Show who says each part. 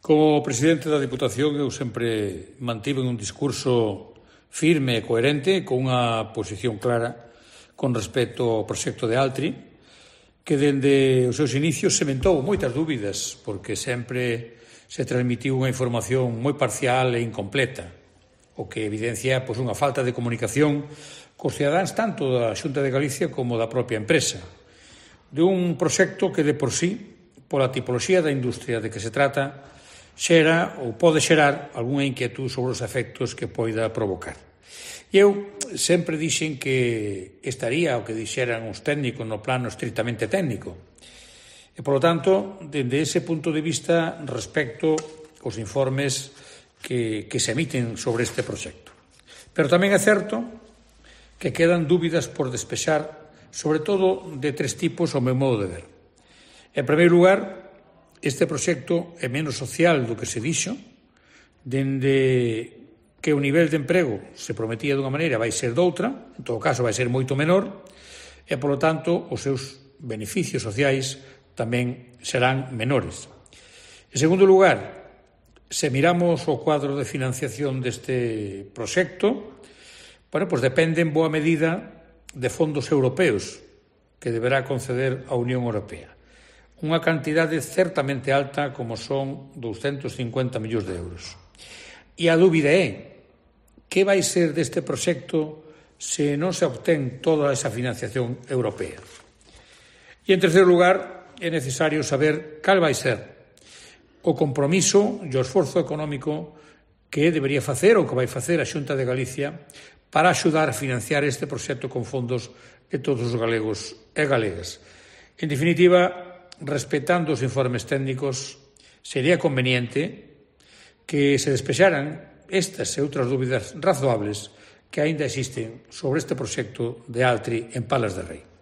Speaker 1: Como presidente da Diputación, eu sempre mantive un discurso firme e coherente, con unha posición clara con respecto ao proxecto de Altri, que dende os seus inicios sementou moitas dúbidas, porque sempre se transmitiu unha información moi parcial e incompleta, o que evidencia unha falta de comunicación cos cidadáns tanto da Xunta de Galicia como da propia empresa, de un proxecto que de por sí, pola tipoloxía da industria de que se trata, xera ou pode xerar algunha inquietud sobre os efectos que poida provocar. E eu sempre dixen que estaría o que dixeran os técnicos no plano estritamente técnico. E, polo tanto, dende ese punto de vista, respecto os informes que se emiten sobre este proxecto. Pero tamén é certo que quedan dúbidas por despexar, sobre todo de tres tipos ao meu modo de ver. En primeiro lugar, este proxecto é menos social do que se dixo, dende que o nivel de emprego se prometía dunha maneira vai ser doutra, en todo caso vai ser moito menor, e, polo tanto, os seus beneficios sociais tamén serán menores. En segundo lugar, se miramos o cuadro de financiación deste proxecto, depende en boa medida de fondos europeos que deberá conceder a Unión Europea. Unha cantidade certamente alta como son 250 millóns de euros. E a dúbida é que vai ser deste proxecto se non se obtén toda esa financiación europea. E, en terceiro lugar, é necesario saber cal vai ser o compromiso e o esforzo económico que debería facer ou que vai facer a Xunta de Galicia para axudar a financiar este proxecto con fondos de todos os galegos e galegas. En definitiva, respetando os informes técnicos, sería conveniente que se despexaran estas e outras dúbidas razoables que aínda existen sobre este proxecto de Altri en Palas de Rei.